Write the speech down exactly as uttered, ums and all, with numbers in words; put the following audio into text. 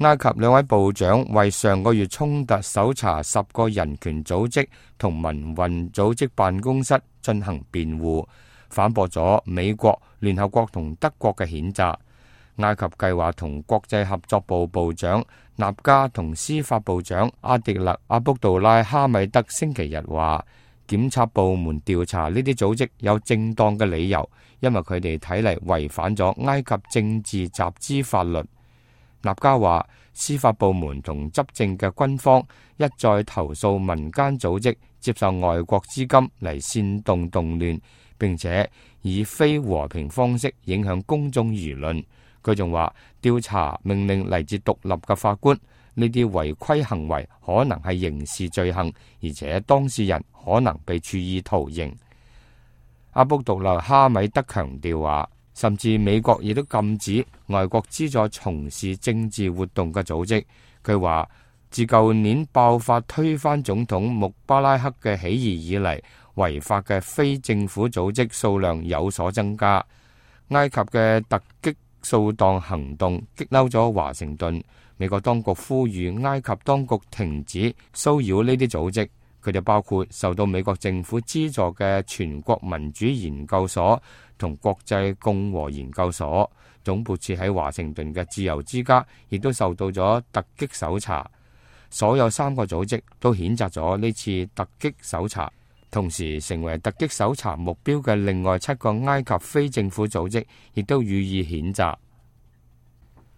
埃及兩位部長為上個月衝突搜查十個人權組織同民運組織辦公室進行辯護，反駁咗美國、聯合國同德國嘅譴責。埃及計劃同國際合作部部長納加同司法部長阿迪勒阿卜杜拉哈米德星期日話，檢察部門調查呢啲組織有正當嘅理由，因為佢哋睇嚟違反咗埃及政治集資法律。納加話，司法部門同執政嘅軍方一再投訴民間組織接受外國資金嚟煽動動亂，並且以非和平方式影響公眾輿論。佢仲話，調查命令嚟自獨立嘅法官，呢啲違規行為可能係刑事罪行，而且當事人可能被處以徒刑。阿卜杜勒哈米德強調話，甚至美國亦都禁止外國資助從事政治活動嘅組織。佢話，自舊年爆發推翻總統穆巴拉克嘅起義以嚟，違法嘅非政府組織數量有所增加。埃及嘅突擊掃蕩行動激嬲咗華盛頓，美國當局呼籲埃及當局停止騷擾呢啲組織。佢哋包括受到美國政府資助嘅全國民主研究所同國際共和研究所，總部設喺華盛頓嘅自由之家亦都受到咗突擊搜查。所有三個組織都譴責咗呢次突擊搜查，同時成為突擊搜查目標嘅另外七個埃及非政府組織亦都予以譴責。